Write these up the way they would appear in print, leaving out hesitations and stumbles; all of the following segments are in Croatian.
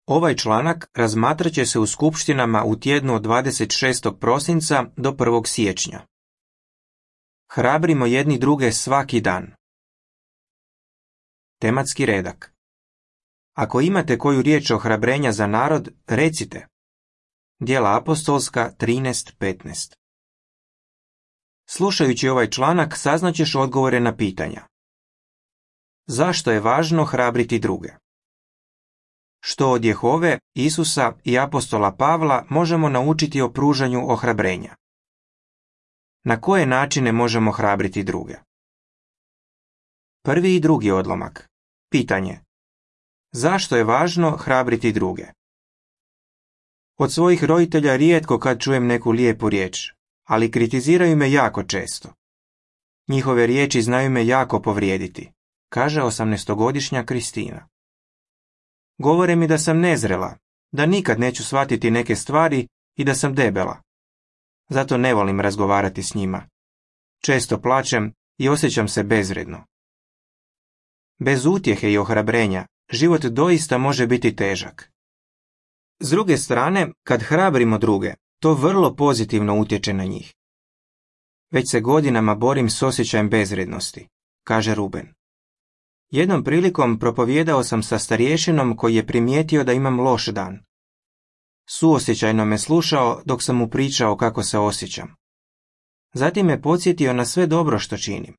Ovaj članak razmatrat će se u skupštinama u tjednu od 26. prosinca do 1. siječnja. Hrabrimo jedni druge svaki dan. Tematski redak. Ako imate koju riječ ohrabrenja za narod, recite. Djela apostolska 13:15. Slušajući ovaj članak saznaćeš odgovore na pitanja. Zašto je važno hrabriti druge? Što od Jehove, Isusa i apostola Pavla možemo naučiti o pružanju ohrabrenja? Na koje načine možemo hrabriti druge? Prvi i drugi odlomak. Pitanje. Zašto je važno hrabriti druge? Od svojih roditelja rijetko kad čujem neku lijepu riječ, ali kritiziraju me jako često. Njihove riječi znaju me jako povrijediti, kaže 18-godišnja Kristina. Govore mi da sam nezrela, da nikad neću shvatiti neke stvari i da sam debela. Zato ne volim razgovarati s njima. Često plačem i osjećam se bezvredno. Bez utjehe i ohrabrenja, život doista može biti težak. S druge strane, kad hrabrimo druge, to vrlo pozitivno utječe na njih. Već se godinama borim s osjećajem bezvrednosti, kaže Ruben. Jednom prilikom propovijedao sam sa starješinom koji je primijetio da imam loš dan. Suosjećajno me slušao dok sam mu pričao kako se osjećam. Zatim me podsjetio na sve dobro što činim.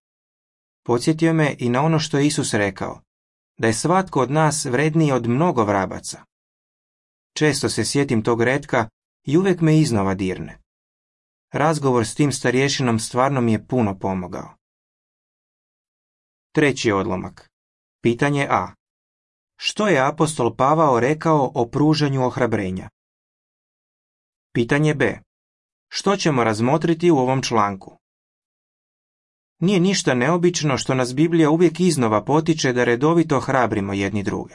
Podsjetio me i na ono što je Isus rekao, da je svatko od nas vredniji od mnogo vrabaca. Često se sjetim tog retka i uvijek me iznova dirne. Razgovor s tim starješinom stvarno mi je puno pomogao. Treći odlomak. Pitanje A. Što je apostol Pavao rekao o pružanju ohrabrenja? Pitanje B. Što ćemo razmotriti u ovom članku? Nije ništa neobično što nas Biblija uvijek iznova potiče da redovito hrabrimo jedni druge.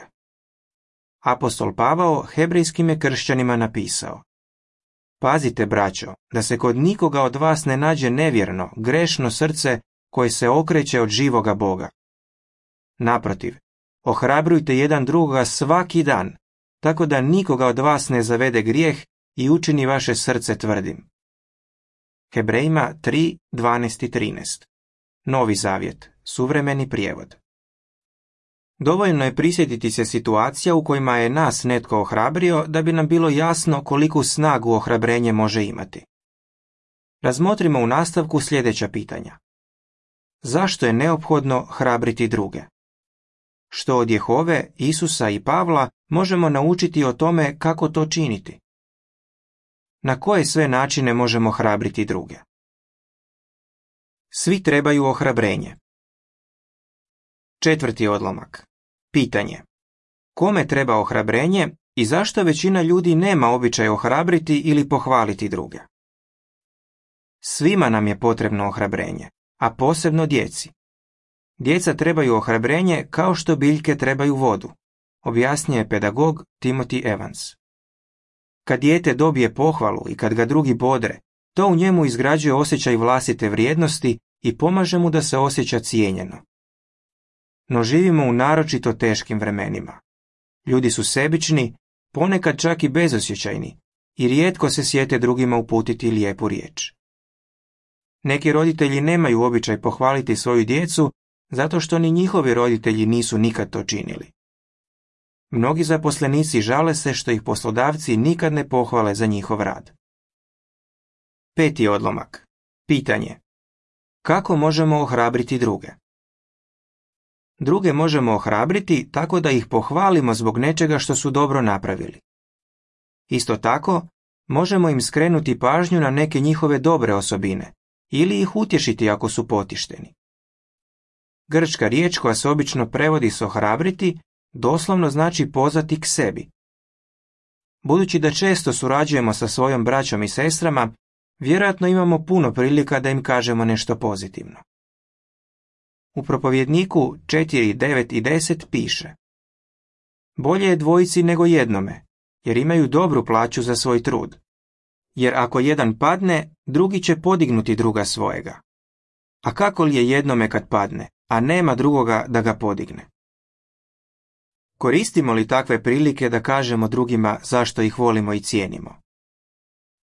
Apostol Pavao hebrejskim je kršćanima napisao: Pazite, braćo, da se kod nikoga od vas ne nađe nevjerno, grešno srce koje se okreće od živoga Boga. Naprotiv, ohrabrujte jedan drugoga svaki dan, tako da nikoga od vas ne zavede grijeh i učini vaše srce tvrdim. Hebrejima 3:12 i 13. Novi Zavjet, suvremeni prijevod. Dovoljno je prisjetiti se situacija u kojima je nas netko ohrabrio da bi nam bilo jasno koliku snagu ohrabrenje može imati. Razmotrimo u nastavku sljedeća pitanja. Zašto je neophodno hrabriti druge? Što od Jehove, Isusa i Pavla možemo naučiti o tome kako to činiti? Na koje sve načine možemo hrabriti druge? Svi trebaju ohrabrenje. Četvrti odlomak. Pitanje. Kome treba ohrabrenje i zašto većina ljudi nema običaj ohrabriti ili pohvaliti druge? Svima nam je potrebno ohrabrenje, a posebno djeci. Djeca trebaju ohrabrenje kao što biljke trebaju vodu, objasnio je pedagog Timothy Evans. Kad dijete dobije pohvalu i kad ga drugi bodre, to u njemu izgrađuje osjećaj vlastite vrijednosti i pomaže mu da se osjeća cijenjeno. No živimo u naročito teškim vremenima. Ljudi su sebični, ponekad čak i bezosjećajni, i rijetko se sjete drugima uputiti lijepu riječ. Neki roditelji nemaju običaj pohvaliti svoju djecu zato što ni njihovi roditelji nisu nikad to činili. Mnogi zaposlenici žale se što ih poslodavci nikad ne pohvale za njihov rad. Peti odlomak. Pitanje. Kako možemo ohrabriti druge? Druge možemo ohrabriti tako da ih pohvalimo zbog nečega što su dobro napravili. Isto tako, možemo im skrenuti pažnju na neke njihove dobre osobine ili ih utješiti ako su potišteni. Grčka riječ koja se obično prevodi s ohrabriti doslovno znači pozvati k sebi. Budući da često surađujemo sa svojom braćom i sestrama, vjerojatno imamo puno prilika da im kažemo nešto pozitivno. U propovjedniku 4, 9 i 10 piše: Bolje je dvojici nego jednome, jer imaju dobru plaću za svoj trud. Jer ako jedan padne, drugi će podignuti druga svojega. A kako li je jednome kad padne, a nema drugoga da ga podigne? Koristimo li takve prilike da kažemo drugima zašto ih volimo i cijenimo?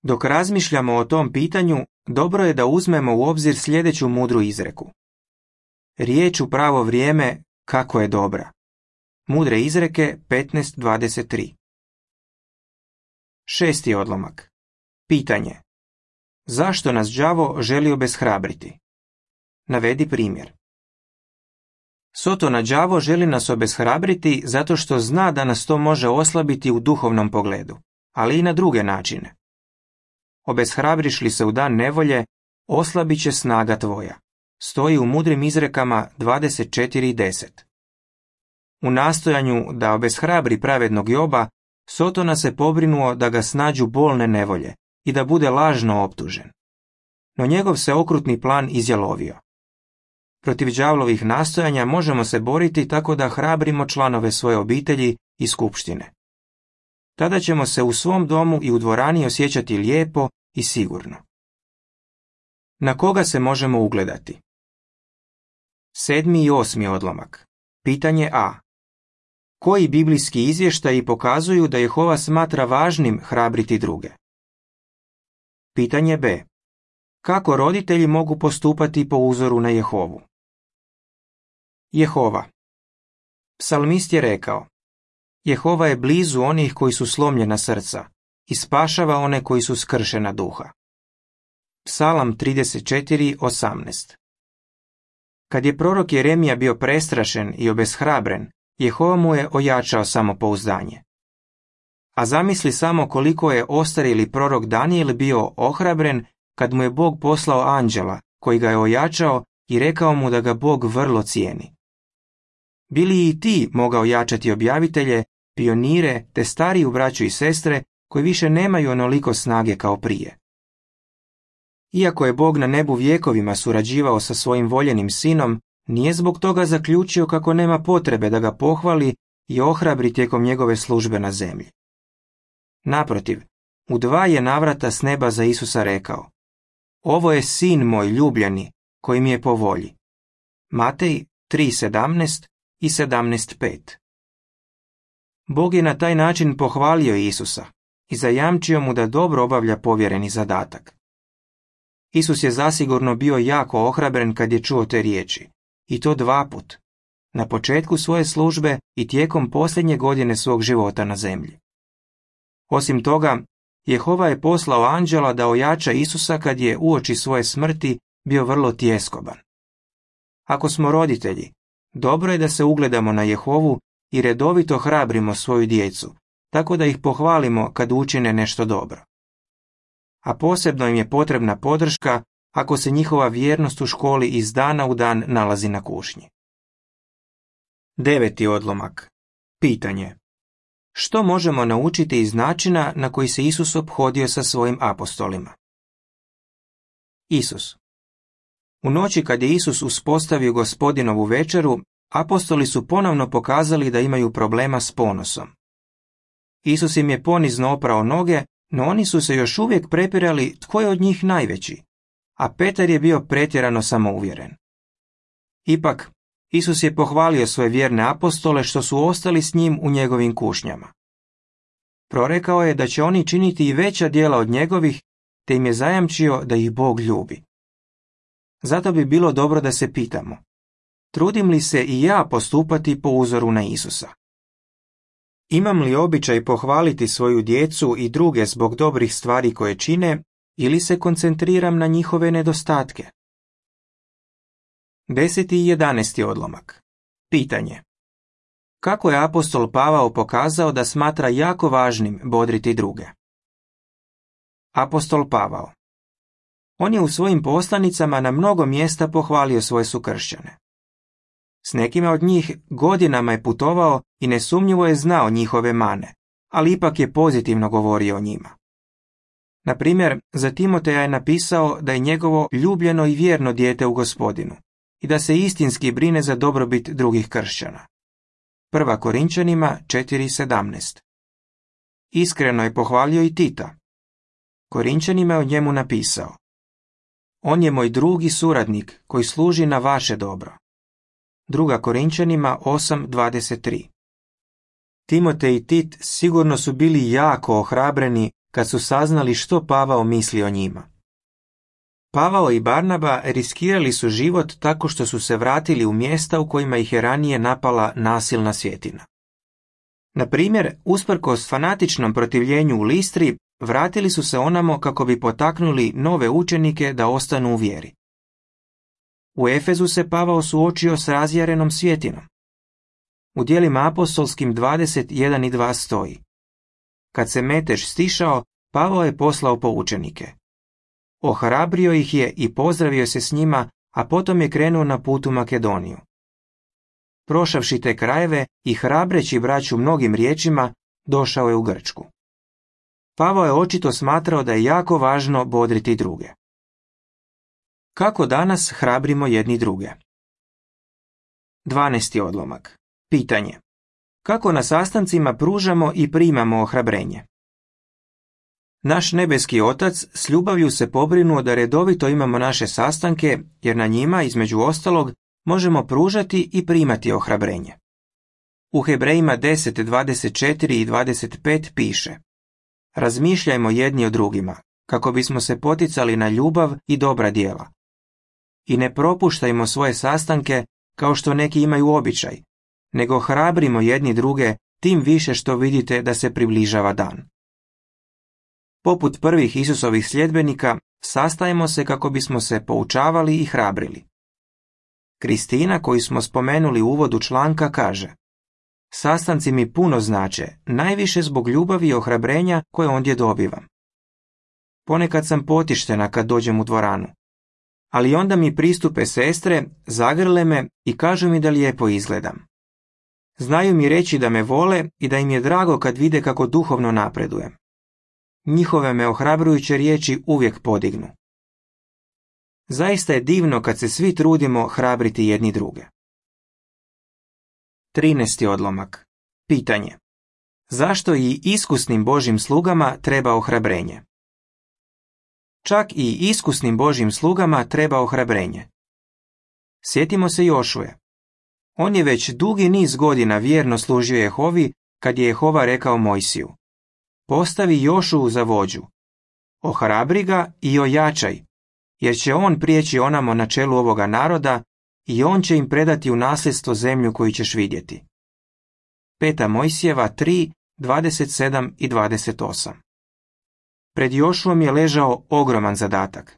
Dok razmišljamo o tom pitanju, dobro je da uzmemo u obzir sljedeću mudru izreku. Riječ u pravo vrijeme, kako je dobra. Mudre izreke 15:23. 6. odlomak. Pitanje. Zašto nas đavo želi obeshrabriti? Navedi primjer. Sotona đavo želi nas obeshrabriti zato što zna da nas to može oslabiti u duhovnom pogledu, ali i na druge načine. Obeshrabriš li se u dan nevolje, oslabit će snaga tvoja. Stoji u mudrim izrekama 24:10. U nastojanju da obeshrabri pravednog Joba, Sotona se pobrinuo da ga snađu bolne nevolje i da bude lažno optužen. No njegov se okrutni plan izjalovio. Protiv đavlovih nastojanja možemo se boriti tako da hrabrimo članove svoje obitelji i skupštine. Tada ćemo se u svom domu i u dvorani osjećati lijepo i sigurno. Na koga se možemo ugledati? 7. i 8. odlomak. Pitanje A. Koji biblijski izvještaji pokazuju da Jehova smatra važnim hrabriti druge? Pitanje B. Kako roditelji mogu postupati po uzoru na Jehovu? Jehova. Psalmist je rekao: Jehova je blizu onih koji su slomljena srca i spašava one koji su skršena duha. Psalam 34:18. Kad je prorok Jeremija bio prestrašen i obeshrabren, Jehova mu je ojačao samopouzdanje. A zamisli samo koliko je ostarjeli prorok Danijel bio ohrabren kad mu je Bog poslao anđela koji ga je ojačao i rekao mu da ga Bog vrlo cijeni. Bili i ti mogao jačati objavitelje, pionire te stariju braću i sestre koji više nemaju onoliko snage kao prije. Iako je Bog na nebu vjekovima surađivao sa svojim voljenim sinom, nije zbog toga zaključio kako nema potrebe da ga pohvali i ohrabri tijekom njegove službe na zemlji. Naprotiv, u 2 je navrata s neba za Isusa rekao: Ovo je sin moj ljubljeni, koji mi je po volji. Matej 3:17 i 17:5. Bog je na taj način pohvalio Isusa i zajamčio mu da dobro obavlja povjereni zadatak. Isus je zasigurno bio jako ohrabren kad je čuo te riječi, i to 2 put, na početku svoje službe i tijekom posljednje godine svog života na zemlji. Osim toga, Jehova je poslao anđela da ojača Isusa kad je uoči svoje smrti bio vrlo tjeskoban. Ako smo roditelji, dobro je da se ugledamo na Jehovu i redovito hrabrimo svoju djecu, tako da ih pohvalimo kad učine nešto dobro. A posebno im je potrebna podrška ako se njihova vjernost u školi iz dana u dan nalazi na kušnji. 9. odlomak. Pitanje. Što možemo naučiti iz načina na koji se Isus ophodio sa svojim apostolima? Isus. U noći kad je Isus uspostavio Gospodinovu večeru, apostoli su ponovno pokazali da imaju problema s ponosom. Isus im je ponizno oprao noge, no oni su se još uvijek prepirali tko je od njih najveći, a Petar je bio pretjerano samouvjeren. Ipak, Isus je pohvalio svoje vjerne apostole što su ostali s njim u njegovim kušnjama. Prorekao je da će oni činiti i veća djela od njegovih, te im je zajamčio da ih Bog ljubi. Zato bi bilo dobro da se pitamo: trudim li se i ja postupati po uzoru na Isusa? Imam li običaj pohvaliti svoju djecu i druge zbog dobrih stvari koje čine, ili se koncentriram na njihove nedostatke? 10. i 11. odlomak. Pitanje. Kako je apostol Pavao pokazao da smatra jako važnim bodriti druge? Apostol Pavao. On je u svojim poslanicama na mnogo mjesta pohvalio svoje sukršćane. S nekima od njih godinama je putovao i nesumnjivo je znao njihove mane, ali ipak je pozitivno govorio o njima. Na primjer, za Timoteja je napisao da je njegovo ljubljeno i vjerno dijete u Gospodinu i da se istinski brine za dobrobit drugih kršćana. 1. Korinčanima 4:17. Iskreno je pohvalio i Tita. Korinčanima je o njemu napisao: On je moj drugi suradnik koji služi na vaše dobro. 2. Korinčanima 8:23. Timotej i Tit sigurno su bili jako ohrabreni kad su saznali što Pavao misli o njima. Pavao i Barnaba riskirali su život tako što su se vratili u mjesta u kojima ih je ranije napala nasilna svjetina. Na primjer, usprkos fanatičnom protivljenju u Listri, vratili su se onamo kako bi potaknuli nove učenike da ostanu u vjeri. U Efezu se Pavao suočio s razjarenom svjetinom. U djelima apostolskim 21 i 2 stoji: Kad se metež stišao, Pavao je poslao po učenike. Ohrabrio ih je i pozdravio se s njima, a potom je krenuo na put u Makedoniju. Prošavši te krajeve i hrabreći braću mnogim riječima, došao je u Grčku. Pavao je očito smatrao da je jako važno bodriti druge. Kako danas hrabrimo jedni druge? 12. odlomak. Pitanje. Kako na sastancima pružamo i primamo ohrabrenje? Naš nebeski Otac s ljubavlju se pobrinuo da redovito imamo naše sastanke, jer na njima, između ostalog, možemo pružati i primati ohrabrenje. U Hebrejima 10, 24 i 25 piše: Razmišljajmo jedni o drugima, kako bismo se poticali na ljubav i dobra djela. I ne propuštajmo svoje sastanke kao što neki imaju običaj, nego hrabrimo jedni druge, tim više što vidite da se približava dan. Poput prvih Isusovih sljedbenika, sastajemo se kako bismo se poučavali i hrabrili. Kristina, koju smo spomenuli u uvodu članka, kaže: Sastanci mi puno znače, najviše zbog ljubavi i ohrabrenja koje ondje dobivam. Ponekad sam potištena kad dođem u dvoranu, ali onda mi pristupe sestre, zagrle me i kažu mi da lijepo izgledam. Znaju mi reći da me vole i da im je drago kad vide kako duhovno napredujem. Njihove me ohrabrujuće riječi uvijek podignu. Zaista je divno kad se svi trudimo hrabriti jedni druge. 13. odlomak. Pitanje. Zašto i iskusnim Božjim slugama treba ohrabrenje? Čak i iskusnim Božjim slugama treba ohrabrenje. Sjetimo se Jošuje. On je već dugi niz godina vjerno služio Jehovi kad je Jehova rekao Mojsiju: Postavi Jošuu za vođu. Ohrabri ga i ojačaj, jer će on prijeći onamo na čelu ovoga naroda i on će im predati u nasljedstvo zemlju koju ćeš vidjeti. 5. Mojsijeva 3, 27 i 28. Pred Jošuom je ležao ogroman zadatak.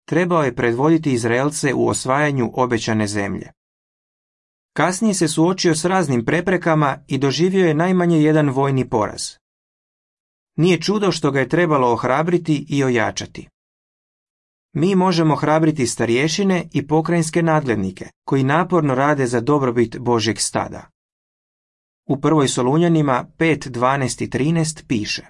Trebao je predvoditi Izraelce u osvajanju obećane zemlje. Kasnije se suočio s raznim preprekama i doživio je najmanje jedan vojni poraz. Nije čudo što ga je trebalo ohrabriti i ojačati. Mi možemo hrabriti starješine i pokrajinske nadglednike, koji naporno rade za dobrobit Božjeg stada. U 1. Solunjanima 5, 12 i 13 piše: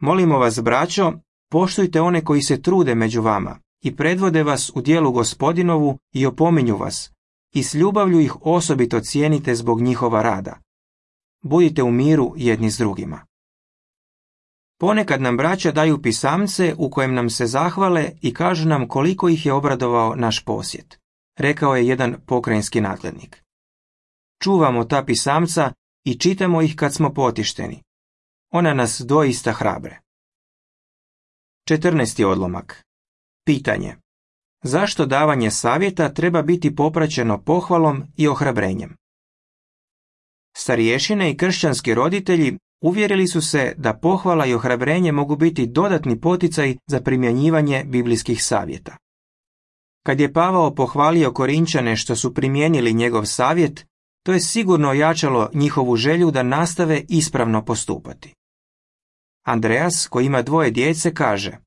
Molimo vas, braćo, poštujte one koji se trude među vama i predvode vas u djelu Gospodinovu i opominju vas, i s ljubavlju ih osobito cijenite zbog njihova rada. Budite u miru jedni s drugima. Ponekad nam braća daju pisamce u kojem nam se zahvale i kažu nam koliko ih je obradovao naš posjet, rekao je jedan pokrajinski nadglednik. Čuvamo ta pisamca i čitamo ih kad smo potišteni. Ona nas doista hrabre. 14. odlomak. Pitanje. Zašto davanje savjeta treba biti popraćeno pohvalom i ohrabrenjem? Starješine i kršćanski roditelji uvjerili su se da pohvala i ohrabrenje mogu biti dodatni poticaj za primjenjivanje biblijskih savjeta. Kad je Pavao pohvalio Korinčane što su primijenili njegov savjet, to je sigurno ojačalo njihovu želju da nastave ispravno postupati. Andreas, koji ima 2 djece, kaže: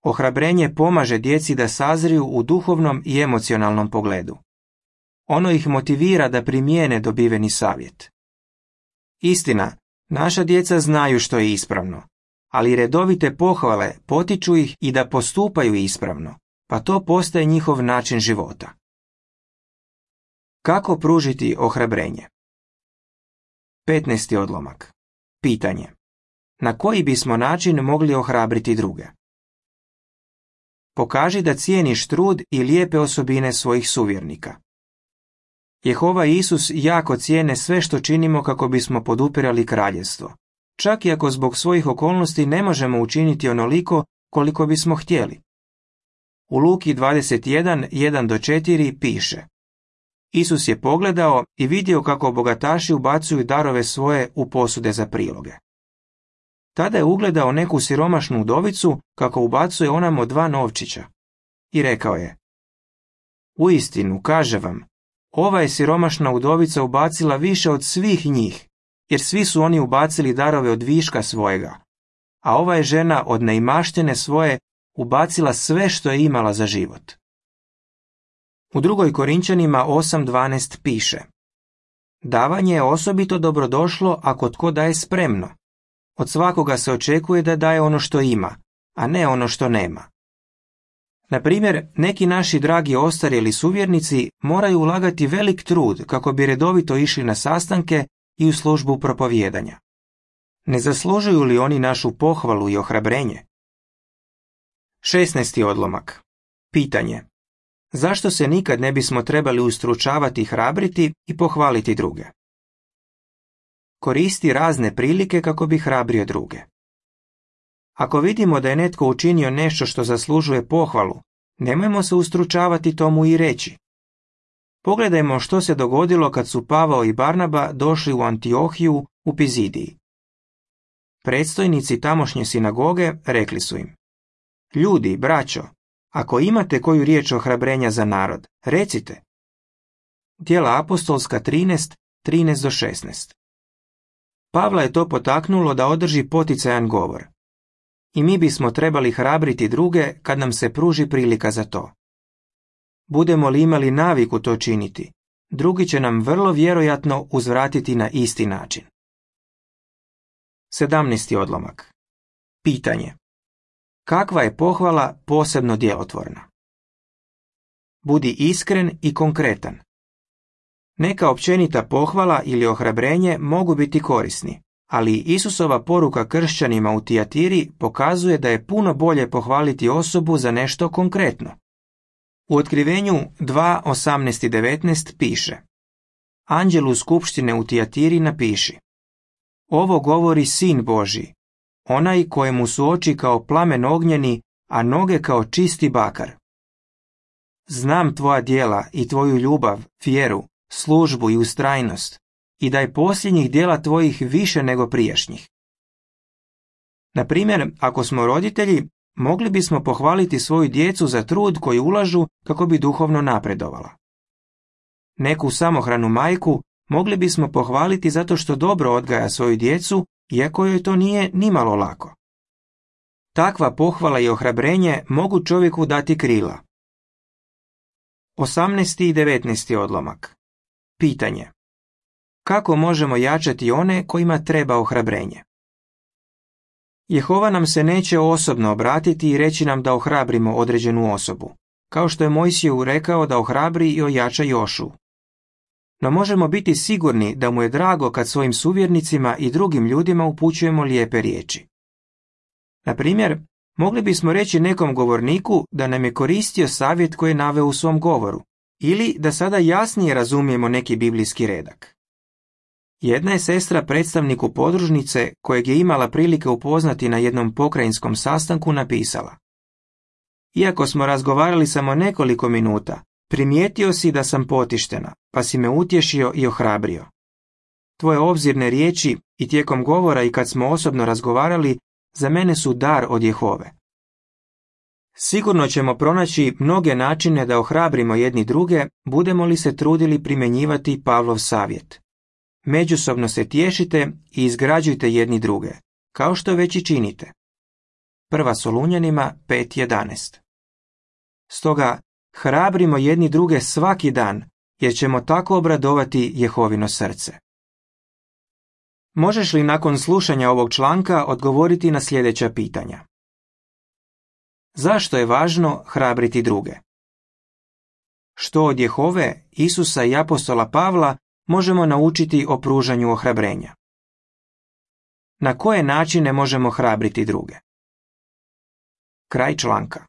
Ohrabrenje pomaže djeci da sazriju u duhovnom i emocionalnom pogledu. Ono ih motivira da primijene dobiveni savjet. Istina, naša djeca znaju što je ispravno, ali redovite pohvale potiču ih i da postupaju ispravno, pa to postaje njihov način života. Kako pružiti ohrabrenje? 15. odlomak. Pitanje. Na koji bismo način mogli ohrabriti druge? Pokaži da cijeniš trud i lijepe osobine svojih suvjernika. Jehova i Isus jako cijene sve što činimo kako bismo podupirali kraljevstvo, čak i ako zbog svojih okolnosti ne možemo učiniti onoliko koliko bismo htjeli. U Luki 21, 1-4 piše: Isus je pogledao i vidio kako bogataši ubacuju darove svoje u posude za priloge. Tada je ugledao neku siromašnu udovicu kako ubacuje onamo 2 novčića. I rekao je: Uistinu, kaže vam, ova je siromašna udovica ubacila više od svih njih, jer svi su oni ubacili darove od viška svojega, a ova je žena od neimaštine svoje ubacila sve što je imala za život. U 2. Korinčanima 8.12 piše: Davanje je osobito dobrodošlo ako tko daje spremno. Od svakoga se očekuje da daje ono što ima, a ne ono što nema. Na primjer, neki naši dragi ostarjeli suvjernici moraju ulagati velik trud kako bi redovito išli na sastanke i u službu propovijedanja. Ne zaslužuju li oni našu pohvalu i ohrabrenje? 16. odlomak. Pitanje: zašto se nikad ne bismo trebali ustručavati i hrabriti i pohvaliti druge? Koristi razne prilike kako bi hrabrio druge. Ako vidimo da je netko učinio nešto što zaslužuje pohvalu, nemojmo se ustručavati tomu i reći. Pogledajmo što se dogodilo kad su Pavao i Barnaba došli u Antiohiju u Pizidiji. Predstojnici tamošnje sinagoge rekli su im: Ljudi, braćo, ako imate koju riječ ohrabrenja za narod, recite. Djela apostolska 13, 13-16. Pavla je to potaknulo da održi poticajan govor. I mi bismo trebali hrabriti druge kad nam se pruži prilika za to. Budemo li imali naviku to činiti, drugi će nam vrlo vjerojatno uzvratiti na isti način. 17. odlomak. Pitanje: kakva je pohvala posebno djelotvorna? Budi iskren i konkretan. Neka općenita pohvala ili ohrabrenje mogu biti korisni, ali Isusova poruka kršćanima u Tijatiri pokazuje da je puno bolje pohvaliti osobu za nešto konkretno. U Otkrivenju 2:18-19 piše: Anđelu skupštine u Tijatiri napiši: Ovo govori Sin Božji, onaj kojemu su oči kao plamen ognjeni, a noge kao čisti bakar. Znam tvoja djela i tvoju ljubav, vjeru, službu i ustrajnost, i da je posljednjih djela tvojih više nego prijašnjih. Na primjer, ako smo roditelji, mogli bismo pohvaliti svoju djecu za trud koji ulažu kako bi duhovno napredovala. Neku samohranu majku mogli bismo pohvaliti zato što dobro odgaja svoju djecu, iako joj to nije nimalo lako. Takva pohvala i ohrabrenje mogu čovjeku dati krila. 18. i 19. odlomak. Pitanje: kako možemo jačati one kojima treba ohrabrenje? Jehova nam se neće osobno obratiti i reći nam da ohrabrimo određenu osobu, kao što je Mojsiju rekao da ohrabri i ojača Jošu. No možemo biti sigurni da mu je drago kad svojim suvjernicima i drugim ljudima upućujemo lijepe riječi. Na primjer, mogli bismo reći nekom govorniku da nam je koristio savjet koji je naveo u svom govoru, ili da sada jasnije razumijemo neki biblijski redak. Jedna je sestra predstavniku podružnice, kojeg je imala prilike upoznati na jednom pokrajinskom sastanku, napisala: Iako smo razgovarali samo nekoliko minuta, primijetio si da sam potištena, pa si me utješio i ohrabrio. Tvoje obzirne riječi i tijekom govora i kad smo osobno razgovarali, za mene su dar od Jehove. Sigurno ćemo pronaći mnoge načine da ohrabrimo jedni druge, budemo li se trudili primjenjivati Pavlov savjet. Međusobno se tješite i izgrađujte jedni druge, kao što već i činite. 1. Solunjanima 5.11. Stoga, hrabrimo jedni druge svaki dan, jer ćemo tako obradovati Jehovino srce. Možeš li nakon slušanja ovog članka odgovoriti na sljedeća pitanja? Zašto je važno hrabriti druge? Što od Jehove, Isusa i apostola Pavla možemo naučiti o pružanju ohrabrenja? Na koje načine možemo hrabriti druge? Kraj članka.